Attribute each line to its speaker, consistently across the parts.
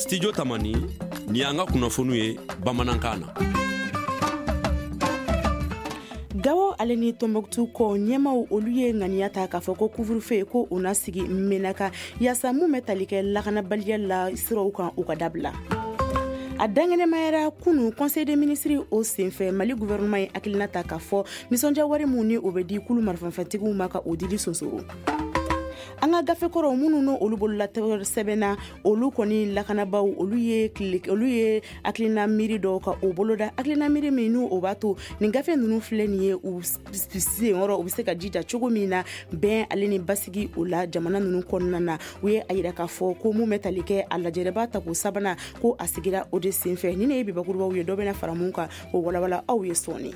Speaker 1: Studio Tamani, ni y'an ka kunnafoniw ye bamanankan na.
Speaker 2: Gawo ale ni Tombouctou kɔ ɲɛmaw olu ye ŋaniya ta k'a fɔ ko couvre-feu ko o na sigi Menaka yaasa mun bɛ tali kɛ lakanabaliya la siraw kan u ka dabila. A dankɛnɛmayara kunu conseil des ministres o senfɛ Mali gouvernement ye hakilina ta k'a fɔ nisɔndiya wari mun ni o bɛ di kulu marifafɛntigiw ma ka o dili sonsoro. An ka gafe kɔrɔw minnu n'o olu bolola sɛbɛnna olu kɔni lakanabaw olu ye olu ye hakilina miiri dɔw ka o boloda hakilina miiri min n'u o b'a to nin gafe ninnu filɛ nin ye u senkɔrɔ u bɛ se ka jija cogo min na bɛn ale ni basigi o la jamana ninnu kɔnɔna na. U ye a yira k'a fɔ ko mun bɛ tali kɛ a lajɛrɛba tako sabanan ko a sigira o de senfɛ. Ni ne ye bibakurubaw ye dɔ bɛna fara mun kan o walawala aw ye sɔɔni.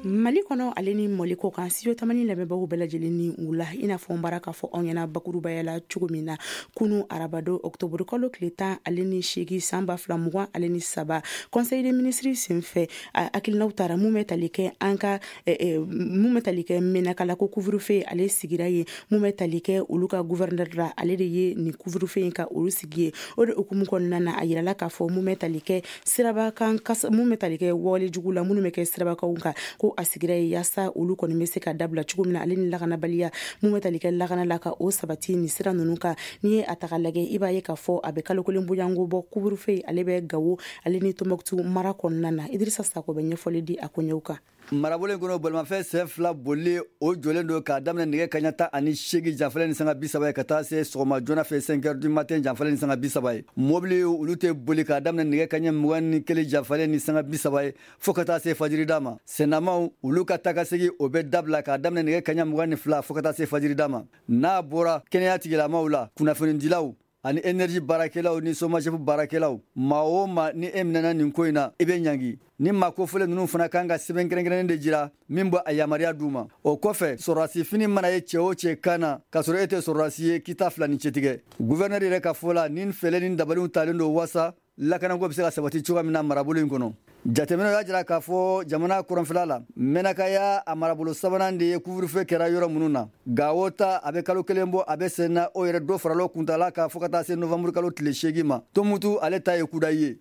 Speaker 2: Mali kɔnɔ ale ni Mali kɔ kan Studio Tamani lamɛnbagaw bɛɛ lajɛlen ni wula i n'a fɔ n bara k'a fɔ aw ɲɛna bakurubaya la cogo min na kunu arabado octobre kalo tile 18 san 2023 conseil des ministres senfɛ hakilinaw tara mun bɛ tali kɛ an ka mun bɛ tali kɛ Menaka la ko couvre-feu ale sigira yen mun bɛ tali kɛ olu ka gouverneur la ale de ye nin couvre-feu in ka olu sigi ye. O de hukumu kɔnɔna na a yirala k'a fɔ mun bɛ tali kɛ sirabakan mun bɛ tali kɛ wale jugu la minnu bɛ kɛ sirabakanw kan ko a sigira ye yaasa olu kɔni bɛ se ka dabila cogo min na ale ni lakanabaliya mun bɛ tali kɛ lakana la ka o sabati nin sira ninnu kan. N'i ye a ta k'a lajɛ i b'a ye k'a fɔ a bɛ kalo kelen bonyanko bɔ couvre-feu ale bɛ Gawo ale ni Tombouctou mara kɔnɔna na. Idrissa Sako bɛ ɲɛfɔli di a koɲɛw kan.
Speaker 3: Marabolo in kɔnɔ bolimafɛn sen fila boli o jɔlen don k'a daminɛ nɛgɛ kaɲɛ 18 janfalen ni sanga 30 ye ka taa se sɔgɔma joona fɛ 5 heures du matin janfalen ni sanga 30 ye. Mobili olu tɛ boli k'a daminɛ nɛgɛ kaɲɛ 21 janfalen ni sanga 30 ye fo ka taa se fajirida ma. Sennamaw olu ka taakasegin o bɛ dabila k'a daminɛ nɛgɛ kaɲɛ 22 fo ka taa se fajirida ma. N'a bɔra kɛnɛya tigilamaw la, kunnafonidilaw ani énergie baarakɛlaw ni SOMAGEP baarakɛlaw, maa o maa ni e minɛna nin ko in na, i bɛ ɲangi. Ni maa kofɔlen ninnu fana kan ka sɛbɛn kɛrɛnkɛrɛnnen de jira min bɛ a yamaruya d'u ma. O kɔfɛ, sɔrɔdasi fini mana ye cɛ o cɛ kan na k'a sɔrɔ e tɛ sɔrɔdasi ye, k'i ta fila ni cɛtigɛ. Gouverneur yɛrɛ ka fɔ la, nin fɛɛrɛ ni dabaliw talen don waasa lakanako bɛ se ka sabati cogoya min na marabolo in kɔnɔ. Jateminɛw y'a jira k'a fɔ jamana kɔrɔnfɛla la, Menaka y'a a marabolo sabanan de ye couvre-feu kɛra yɔrɔ minnu na. Gawo ta a bɛ kalo kelen bɔ a bɛ sen na, o yɛrɛ dɔ farala kuntala kan fo ka taa se novembre kalo tile 8 ma. Tomutu ale ta ye kudayi ye.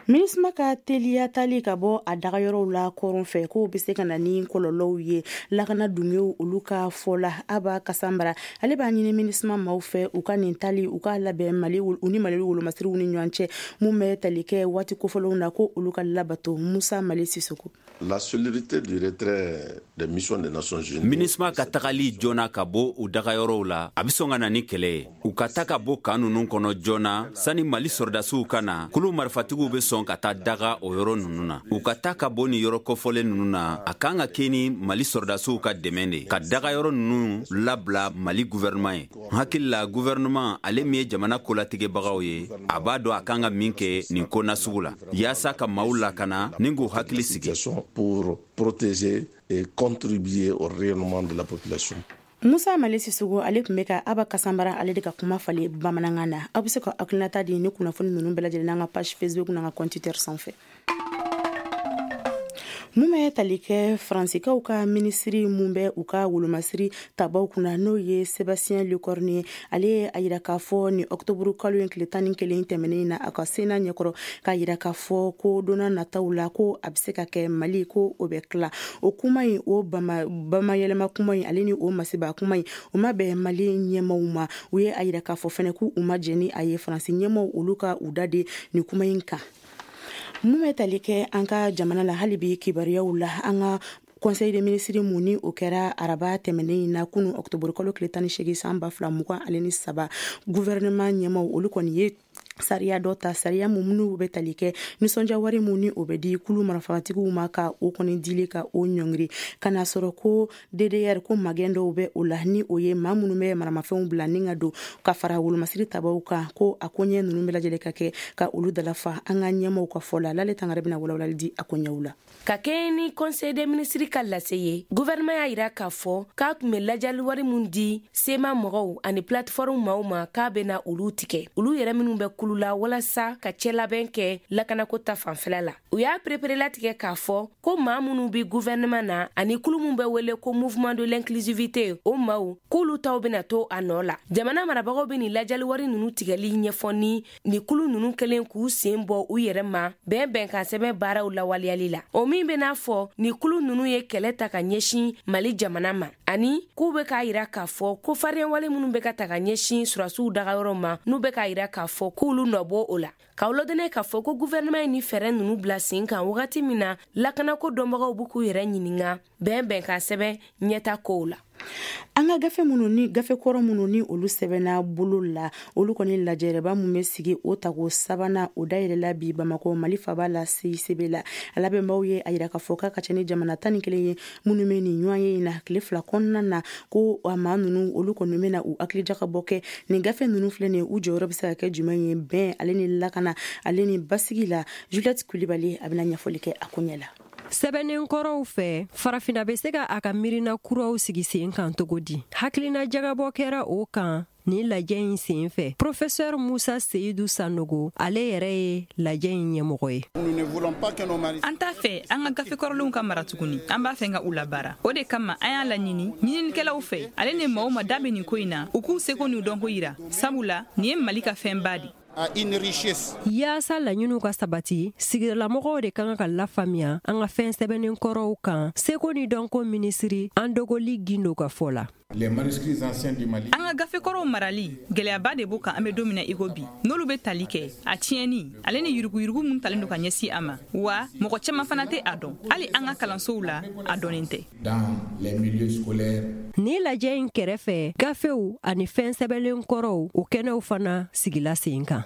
Speaker 2: MINUSMA ka teliya tali ka bɔ a dagayɔrɔw la kɔrɔn fɛ k'o bɛ se ka na ni kɔlɔlɔw ye lakana dungew olu ka fɔ la. Aba Kasanbara ale b'a ɲini MINUSMA maaw fɛ u ka nin tali u k'a labɛn Mali u ni Mali wolomasiriw ni ɲɔgɔn cɛ mun bɛ tali kɛ waati kofɔlenw na ko olu ka labato. Musa Mali Sisoko.
Speaker 4: La célérité du retrait des missions des Nations Unies.
Speaker 5: MINUSMA ka tagali joona ka bɔ u dagayɔrɔw la, a bɛ sɔn ka na ni kɛlɛ ye. U ka ta ka bɔ kan ninnu kɔnɔ joona sani Mali sɔrɔdasiw ka na, kulu marifatigiw bɛ sɔn ka taa daga o yɔrɔ ninnu na. U ka ta ka bɔ nin yɔrɔ kofɔlen ninnu na, a kan ka kɛ ni Mali sɔrɔdasiw ka dɛmɛ de ka dagayɔrɔ ninnu labila Mali gouvernement ye. N hakili la gouvernement ale min ye jamana kolatigɛbagaw ye, a b'a dɔn a kan ka min kɛ nin ko nasugu la yaasa ka maaw lakana ni k'u hakili sigi.
Speaker 4: Pour protéger et contribuer au rayonnement de la population.
Speaker 2: Musa Mali Sisoko ale tun bɛ ka Aba Kasanbara ale de ka kuma falen bamanankan na. Aw bɛ se ka hakilinata di ni kunnafoni ninnu bɛɛ lajɛlen n'an ka page Facebook n'an ka compte Twitter sanfɛ. Mun bɛ tali kɛ Faransikaw ka minisiri mun bɛ u ka wolomasiri tabaw kunna n'o ye Sébastien Lecornu ye, ale ye a yira k'a fɔ ni octobre kalo in tile 11 tɛmɛnen na a ka Sénat ɲɛkɔrɔ k'a yira k'a fɔ ko donna nataw la ko a bɛ se ka kɛ Mali ko o bɛ tila. O kuma in o bamayɛlɛma kuma in ale ni o masiba kuma in o ma bɛn Mali ɲɛmaw ma. U ye a yira k'a fɔ fɛnɛ k'u ma jɛn ni a ye Faransi ɲɛmaw olu ka u da de nin kuma in kan. Mun bɛ tali kɛ an ka jamana la hali bi kibaruyaw la, an ka conseil des ministres mun ni o kɛra araba tɛmɛnen in na kunu octobre kalo tile 18 san 2023 gouvernement ɲɛmaw olu kɔni ye sariya dɔ ta, sariya mun minnu bɛ tali kɛ nisɔndiya wari mun ni o bɛ di kulu marafatigiw ma ka o kɔni dili ka o ɲɔngiri ka n'a sɔrɔ ko DDR ko magɛn dɔw bɛ o la ni o ye maa minnu bɛ maramafɛnw bila ni ka don ka fara wolomasiri tabaw kan ko a koɲɛ ninnu bɛɛ lajɛlen ka kɛ ka olu dalafa an ka ɲɛmaw ka fɔ la. Lale Tangara bɛna walawalali di a koɲɛw la.
Speaker 6: Ka kɛɲɛ ni conseil des ministres ka lase ye, gouvernement y'a yira k'a fɔ k'a tun bɛ lajali wari mun di CMA mɔgɔw ani plateforme maaw ma k'a bɛna olu tigɛ, olu yɛrɛ minnu bɛ kulu la walasa ka cɛlabɛn kɛ lakanako ta fanfɛla la. U y'a pereperelatigɛ k'a fɔ ko maa minnu bɛ gouvernement na ani kulu min bɛ wele ko Mouvement de l'inclusivité, o maaw k'olu taw bɛna to a nɔ la. Jamana marabagaw bɛ nin lajɛliwari ninnu tigɛli ɲɛfɔ ni nin kulu ninnu kɛlen k'u sen bɔ u yɛrɛ ma bɛn bɛnkan sɛbɛn baaraw lawaleyali la, o min bɛ n'a fɔ ni kulu ninnu ye kɛlɛ ta ka ɲɛsin Mali jamana ma, ani k'u bɛ k'a yira k'a fɔ ko fariyɛnwale minnu bɛ ka ta ka ɲɛsin sɔrɔdasiw dagayɔrɔ ma, n'u bɛ k'a yira k'a fɔ k'olu nɔ bɔ o la. K'aw ladɔnniya k'a fɔ ko gouvernement ye ni fɛɛrɛ ninnu bila sen kan wagati min na, lakanako dɔnbagaw b'u k'u yɛrɛ ɲininga bɛn bɛnkan sɛbɛn ɲɛta kow la.
Speaker 2: An ka gafe minnu ni gafe kɔrɔ minnu ni olu sɛbɛnna bolo la, olu kɔni lajɛrɛba min bɛ sigi o tako sabanan, o dayɛlɛla bi Bamakɔ, Mali faba la, CICB la. A labɛnbaw ye a yira k'a fɔ k'a ka ca ni jamana 11 ye minnu bɛ nin ɲɔgɔn ye in na tile 2 kɔnɔna na, ko a maa ninnu, olu kɔni bɛna u hakili jakabɔ kɛ nin gafe ninnu filɛ nin ye, u jɔyɔrɔ bɛ se ka kɛ jumɛn ye bɛn ale ni lakana ale ni basigi la. Juliette Kulibali, a bɛna ɲɛfɔli kɛ a ko ɲɛ la.
Speaker 7: Sɛbɛnnen kɔrɔw fɛ, Farafina bɛ se ka a ka miirina kuraw sigi sen kan cogo di? Hakilina jagabɔ kɛra o kan nin lajɛ in sen fɛ. Professeur Musa Seyidu Sanogo, ale yɛrɛ ye lajɛ in ɲɛmɔgɔ ye.
Speaker 8: An t'a fɛ an ka gafe kɔrɔlenw ka mara tuguni. An b'a fɛ ka u labaara. O de kama an y'a laɲini ɲininikɛlaw fɛ, ale ni maaw ma da bɛ nin ko in na, u k'u seko n'u dɔnko yira, sabula nin ye Mali ka fɛnba di.
Speaker 7: Yaasa laɲiniw ka sabati, sigidalamɔgɔw de ka kan ka lafaamuya an ka fɛn sɛbɛnnen kɔrɔw kan. Seko ni dɔnko minisiri Andogoli Gindo ka fɔ la,
Speaker 8: an ka gafe kɔrɔw marali gwɛlɛyaba de b'o kan an bɛ don min na i ko bi, n'olu bɛ tali kɛ a tiɲɛni ale ni yuruguyurugu mun talen don ka ɲɛsin a ma. Wa mɔgɔ caaman fana tɛ a dɔn, hali an ka kalansow la a dɔnnen tɛ.
Speaker 7: Ni lajɛ in kɛrɛfɛ, gafew ani fɛn sɛbɛnlen kɔrɔw, o kɛnɛw fana sigila sen kan.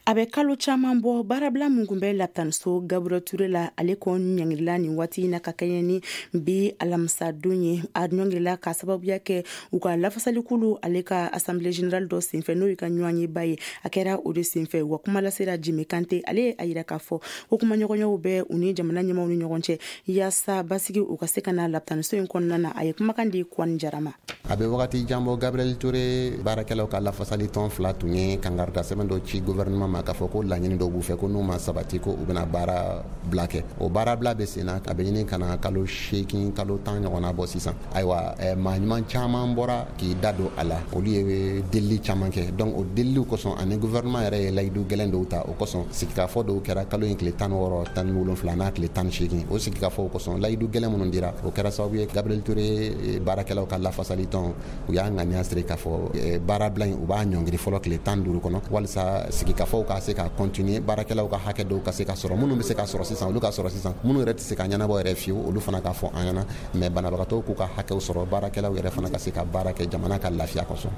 Speaker 2: A bɛ kalo caman bɔ, baarabila min tun bɛ lapitaniso Gabriel Ture la, ale kɔ ɲangirila nin waati in na ka kɛɲɛ ni bi alamisadon ye. A ɲɔngirila ka sababuya kɛ u ka lafasalikulu ale ka assemblée générale dɔ senfɛ, n'o ye ka ɲɔgɔnyeba ye, a kɛra o de senfɛ. Wa kuma lasera Jimi Kante, ale ye a yira k'a fɔ ko kumaɲɔgɔnyaw bɛ u ni jamana ɲɛmaw ni ɲɔgɔn cɛ yaasa basigi u ka se ka na lapitaniso in kɔnɔna na. A ye kumakan di Kwani Jara ma.
Speaker 9: A bɛ wagati jan bɔ, Gabriel Ture baarakɛlaw ka lafasali tɔn fila tun ye kangarida sɛbɛn dɔ ci gouvernement ma k'a fɔ ko laɲini dɔw b'u fɛ, ko n'u ma sabati, ko u bɛna baara bila kɛ. O baara bila bɛ sen na, a bɛ ɲini ka na kalo 8, kalo 10 ɲɔgɔnna bɔ sisan. Ayiwa, maa ɲuman caman bɔra k'i da don a la, olu ye delili caman kɛ. Donc o deliliw kosɔn ani gouvernement yɛrɛ ye layidu gɛlɛn dɔw ta, o kosɔn sigikafɔ dɔw kɛra kalo in tile 16, 17 n'a tile 18. O sigikafɔw kosɔn, layidu gɛlɛn minnu dira, o kɛra sababu ye Gabriel Ture baarakɛlaw ka lafasali tɔn, u y'a ŋaniya siri k'a fɔ baarabila in, u b'a ɲɔngiri fɔlɔ tile 15 kɔnɔ, walisa sigikafɔw ka se ka continuer, baarakɛlaw ka hakɛ dɔw ka se ka sɔrɔ. Minnu bɛ se ka sɔrɔ sisan, olu ka sɔrɔ sisan. Minnu yɛrɛ tɛ se ka ɲɛnabɔ yɛrɛ fiyewu, olu fana ka fɔ an ɲɛna. Mais banabagatɔw k'u ka hakɛw sɔrɔ, baarakɛlaw yɛrɛ fana ka se ka baara kɛ, jamana ka lafiya kosɔn.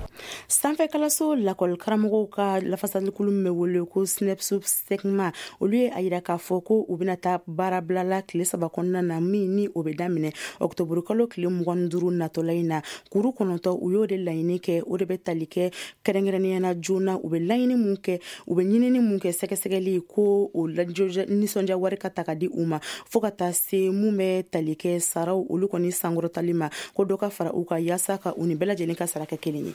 Speaker 2: Sanfɛ kalanso lakɔli karamɔgɔw ka lafasalikulu min bɛ wele ko SNEIPS SEGMA, olu ye a yira k'a fɔ ko u bɛna taa baarabila la tile 3 kɔnɔna na, min ni o bɛ daminɛ ɔkutɔburu kalo tile 25 natɔla in na. Kuru 9, u y'o de laɲini kɛ. O de bɛ tali kɛ kɛrɛnkɛrɛnnenya na joona, u bɛ laɲini mun kɛ, u bɛ ɲinini mun kɛ, sɛgɛsɛgɛli ko o nisɔndiya wari ka ta ka di u ma, fo ka taa se mun bɛ tali kɛ saraw, olu kɔni sankɔrɔtali ma, ko dɔ ka fara u kan yaasa ka u ni bɛɛ lajɛlen ka sara kɛ kelen ye.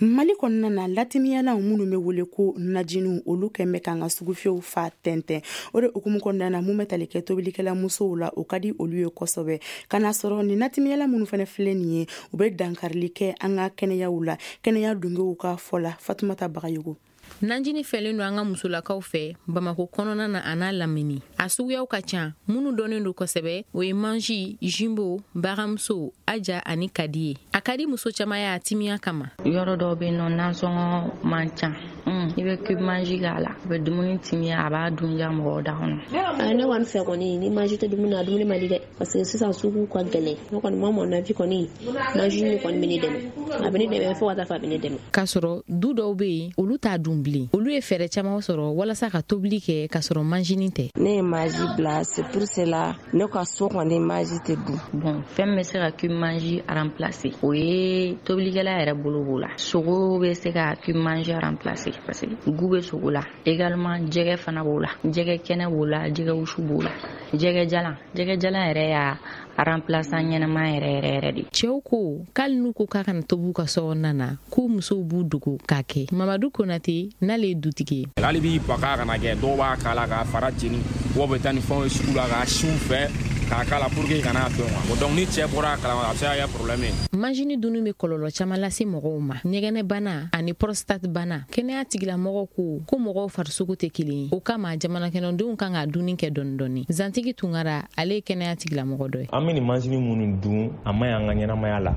Speaker 2: Mali kɔnɔna na, latimiyalaw minnu bɛ wele ko najiniw, olu kɛn bɛ k'an ka sugufiyɛw fa tɛntɛn. O de hukumu kɔnɔna na, mun bɛ tali kɛ tobilikɛla musow la, o ka di olu ye kosɛbɛ. Ka n'a sɔrɔ nin natimiyala minnu fana filɛ nin ye, u bɛ dankarili kɛ an ka kɛnɛyaw la, kɛnɛya dungew ka fɔ la. Fatumata Bagayogo.
Speaker 10: Nanjini fɛlen don an ka musolakaw fɛ Bamako kɔnɔna na a n'a lamini. A suguyaw ka ca. Minnu dɔnnen don kosɛbɛ, o ye Maggi, Jumbo, Baramuso, Aja ani Kadi ye. A ka di muso caman ye a timiya kama.
Speaker 11: Yɔrɔ dɔw bɛ yen nɔ, nasɔngɔ man ca, i bɛ cube Maggi k'a la, a bɛ dumuni timiya, a b'a dun diya mɔgɔw da kɔnɔ.
Speaker 12: Ne kɔni fɛ kɔni, ni Maggi tɛ dumuni na, dumuni man di dɛ, parce que sisan sugu ka gɛlɛn. Ne kɔni ma, mon avis kɔni, Maggi nin kɔni bɛ ne dɛmɛ, a bɛ ne dɛmɛ fo ka taa fɔ a bɛ ne dɛmɛ.
Speaker 10: K'a sɔrɔ du dɔw bɛ yen, olu t'a dun bilen. Olu ye fɛɛrɛ caman sɔrɔ walasa ka tobili kɛ k'a sɔrɔ manjini tɛ.
Speaker 13: Ne ye Maggi bila, c'est pour cela ne ka so kɔni Maggi tɛ dun.
Speaker 11: Bon, fɛn min bɛ se ka cube Maggi remplacer, o ye tobilikɛla yɛrɛ bolo b'o la. Sogo bɛ se ka cube Maggi remplacer. parce que goût bɛ sogo la. Également jɛgɛ fana b'o la, jɛgɛ kɛnɛ b'o la, jɛgɛ wusu b'o la, jɛgɛ jalan yɛrɛ y'a remplaçant ɲɛnama yɛrɛ yɛrɛ yɛrɛ de.
Speaker 10: Cɛw ko k'ali n'u ko k'a kana tobi u ka sokɔnɔna na, k'u musow b'u dogo k'a kɛ. Mamadu Konate n'ale ye dutigi ye.
Speaker 14: Hali b'i ba k'a kana kɛ, dɔw b'a k'a la k'a fara jeni, dɔw bɛ taa ni fɛnw ye sugu la k'a siw fɛ k'a k'a la pour que kana dɔn quoi. Donc ni cɛ bɔra a kalama a bɛ se ka kɛ problème ye.
Speaker 10: Manjini dunni bɛ kɔlɔlɔ caman lase mɔgɔw ma, ɲɛgɛnɛbana ani prostate bana. Kɛnɛya tigilamɔgɔw ko mɔgɔw farisogo tɛ kelen ye, o kama jamanakɔnɔdenw kan ka dunni kɛ dɔɔni dɔɔni. Zantigi Tunkara, ale ye kɛnɛya tigilamɔgɔ dɔ ye.
Speaker 15: An bɛ nin manjini minnu dun, a ma ɲi an ka ɲɛnamaya la.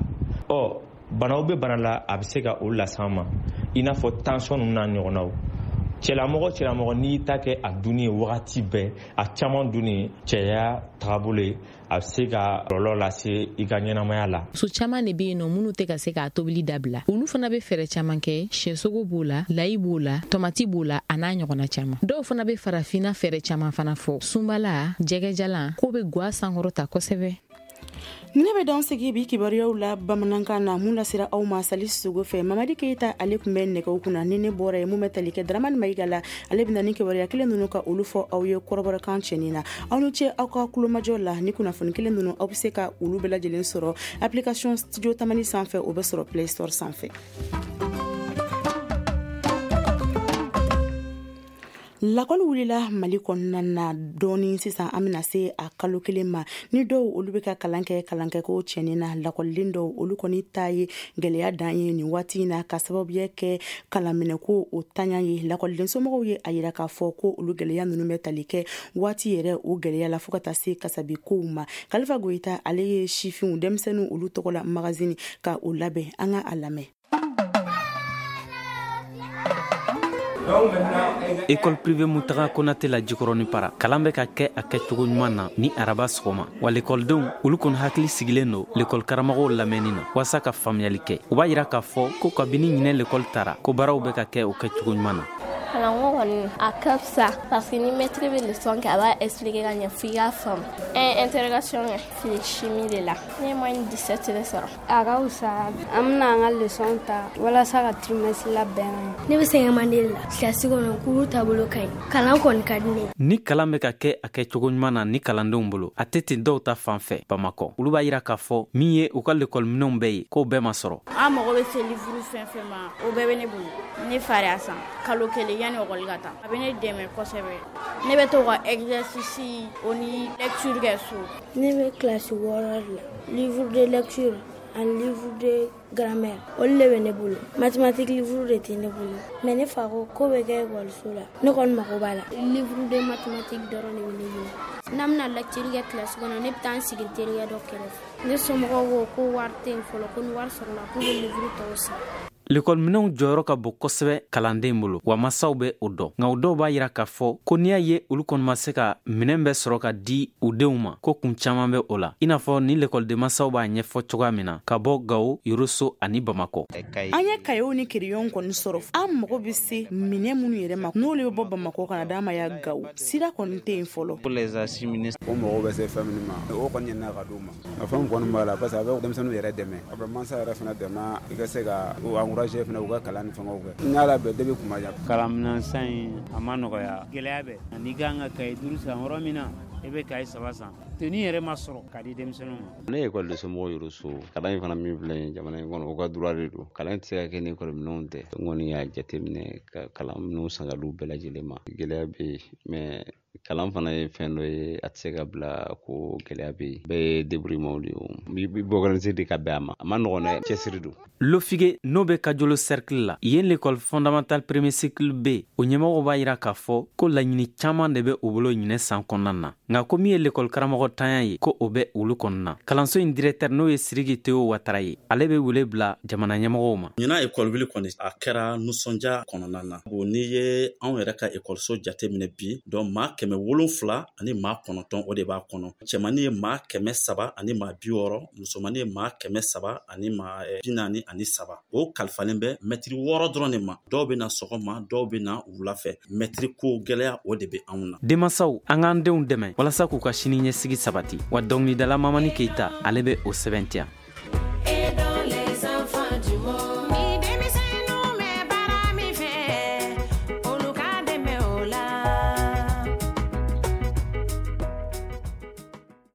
Speaker 15: Ɔ banaw bɛ bana la, a bɛ se ka olu las'an ma, i n'a fɔ tension ninnu n'a ɲɔgɔnnaw. Cɛlamɔgɔ n'i ta kɛ a dunni ye wagati bɛɛ, a caman dunni cɛya tagabolo ye, a bɛ se ka kɔlɔlɔ lase i ka ɲɛnamaya la.
Speaker 10: Muso caman de bɛ yen nɔ minnu tɛ ka se k'a tobili dabila, olu fana bɛ fɛɛrɛ caman kɛ. Sɛsogo b'o la, layi b'o la, tomati b'o la, a n'a ɲɔgɔnna caman. Dɔw fana bɛ farafinna fɛɛrɛ caman fana fɔ, sunbala, jɛgɛjalan, k'o bɛ gwa sankɔrɔta kosɛbɛ.
Speaker 2: Ne bɛ dan sigi bi kibaruyaw la bamanankan na mun lasera aw ma Sali Sogo fɛ. Mamadi Keyita ale tun bɛ nɛgɛw kunna. Ni ne bɔra ye mun bɛ tali kɛ Dramani Mayiga la, ale bɛna ni kibaruya kelen ninnu ka olu fɔ aw ye kɔrɔbɔrɔkan cɛnin na. Aw ni ce aw ka kulomajɔ la. Ni kunnafoni kelen ninnu aw bɛ se ka olu bɛɛ lajɛlen sɔrɔ application Studio Tamani sanfɛ, o bɛ sɔrɔ Play Store sanfɛ. Lakɔli wulila Mali kɔnɔna na dɔɔni sisan, an bɛna se a kalo kelen ma. Ni dɔw olu bɛ ka kalan kɛ kalankɛko tiɲɛni na, lakɔliden dɔw olu kɔni ta ye gɛlɛya dan ye nin waati in na, ka sababuya kɛ kalanminɛko o tanya ye. Lakɔliden somɔgɔw ye a yira k'a fɔ ko olu gɛlɛya ninnu bɛ tali kɛ waati yɛrɛ o gɛlɛya la fo ka taa se kasabi kow ma. Kalifa Goyita ale ye sifinw denmisɛnninw olu tɔgɔ la magazine ka o labɛn, an ka a lamɛn.
Speaker 16: École privée Mutaga Konate la Jikɔrɔni para, kalan bɛ ka kɛ a kɛcogo ɲuman na ni araba sɔgɔma. Wa lekɔlidenw olu kɔni hakili sigilen don lekɔli karamɔgɔw lamɛnni na walasa ka faamuyali kɛ. U b'a yira k'a fɔ ko kabini ɲinɛ lekɔli tara, ko baaraw bɛ ka kɛ o kɛcogo ɲuman na.
Speaker 17: Kalanko kɔni a ka fisa parce que ni maître bɛ leçon kɛ, a b'a expliquer ka ɲɛ f'i k'a faamu. Interrogation kɛ physique chimie de la, ne ye moyenne 17 de sɔrɔ.
Speaker 18: A ka fisa, an bɛna an ka leçon ta walasa ka trimestre labɛn.
Speaker 19: Ne bɛ sɛgɛn mande la kilasi kɔnɔ, cours taabolo ka ɲi, kalan kɔni ka di ne ye.
Speaker 16: Ni kalan bɛ ka kɛ a kɛcogo ɲuman na ni kalandenw bolo, a tɛ ten dɔw ta fan fɛ Bamakɔ. Olu b'a yira k'a fɔ min ye u ka lekɔliminɛnw bɛɛ ye, k'o bɛɛ ma sɔrɔ.
Speaker 20: An mago bɛ se livre fɛn fɛn ma, o bɛɛ bɛ ne bolo. Ne fa y'a san kalo kelen yanni ekɔli ka taa. A bɛ ne dɛmɛ kosɛbɛ. Ne bɛ to ka exercice o ni lecture kɛ so.
Speaker 19: Ne bɛ kilasi 6 de la. Livre de lecture ani livre de grammaire olu de bɛ ne bolo. Mathématique livre de tɛ ne bolo. Mais ne fa ko k'o bɛ kɛ ekɔliso la, ne kɔni mago b'a la.
Speaker 21: Livre de mathématique dɔrɔn de bɛ ne bolo. N'an bɛna lecture kɛ kilasi kɔnɔ, ne bɛ taa n sigi n terikɛ dɔ kɛrɛfɛ. Ne somɔgɔw ko wari tɛ yen fɔlɔ, ko ni wari sɔrɔla k'u bɛ livre tɔw san.
Speaker 16: Lekɔliminɛnw jɔyɔrɔ ka bon kosɛbɛ kalanden bolo, wa masaw bɛ o dɔn. Nka o dɔw b'a yira k'a fɔ ko n'i y'a ye olu kɔni ma se ka minɛn bɛɛ sɔrɔ ka di u denw ma, ko kun caman bɛ o la, i n'a fɔ ni lekɔliden masaw b'a ɲɛfɔ cogoya min na ka bɔ Gawo, Yoroso ani Bamakɔ.
Speaker 2: An ye kayew ni kiriyɔn kɔni sɔrɔ, an mago bɛ se minɛn minnu yɛrɛ ma, n'olu bɛ bɔ Bamakɔ ka na d'an ma yan Gawo, sira kɔni tɛ yen fɔlɔ.
Speaker 22: O mago bɛ se fɛn minnu ma, o kɔni ɲɛna ka d'u ma. Nka fɛn kɔni b'a la parce que a bɛ denmisɛnninw yɛrɛ dɛmɛ, a bɛ mansa yɛrɛ fana dɛmɛ i ka se ka encourager fana u ka kalan ni fɛngɛw kɛ. N y'a labɛn depuis kuma jan.
Speaker 23: Kalanminɛn in a ma nɔgɔya, gɛlɛya bɛ. N'i kan ka kaye 5 san yɔrɔ min na, i bɛ kaye 3 san. Tenue yɛrɛ ma sɔrɔ ka di denmisɛnninw ma.
Speaker 24: Ne ye ekɔliden somɔgɔw Yoroso. Kalan in fana min filɛ nin ye jamana in kɔnɔ, o ka droit de don. Kalan tɛ se ka kɛ ni ekɔliminɛnw tɛ. N kɔni y'a jateminɛ ka kalanminɛnw san ka d'u bɛɛ lajɛlen ma. Gɛlɛya bɛ yen, mais kalan fana ye fɛn dɔ ye, a tɛ se ka bila ko gɛlɛya bɛ yen. Bɛɛ ye débrouillement de ye o. I bɛ organiser de ka bɛn a ma. A ma nɔgɔn dɛ, cɛsiri don.
Speaker 16: Lofige n'o bɛ Kajolo cercle la, yen l'école fondamentale premier cycle B, o ɲɛmɔgɔw b'a yira k'a fɔ ko laɲini caman de bɛ u bolo ɲinɛ san kɔnɔna na. Nka ko min ye l'école karamɔgɔ tanya ye, ko o bɛ olu kɔnɔna na. Kalanso in directeur n'o ye Siriki Teo Watara ye, ale bɛ wele bila jamana ɲɛmɔgɔw ma.
Speaker 25: Ɲinan école wuli kɔni a kɛra nisɔndiya kɔnɔna na. Bon, n'i ye anw yɛrɛ ka école jateminɛ bi, donc maa 709 o de b'a kɔnɔ. Cɛmannin ye maa 360, musomannin ye maa 343. O kalifalen bɛ mɛtiri 6 dɔrɔn de ma. Dɔw bɛ na sɔgɔma, dɔw bɛ na wula fɛ. Mɛtiri ko gɛlɛya o de bɛ anw na.
Speaker 16: Denmansaw, an k'an denw dɛmɛ walasa k'u ka sini ɲɛsigi sabati. Wa dɔnkilidala Mamani Keyita, ale bɛ o sɛbɛntiya.
Speaker 26: Et dans les enfants du monde.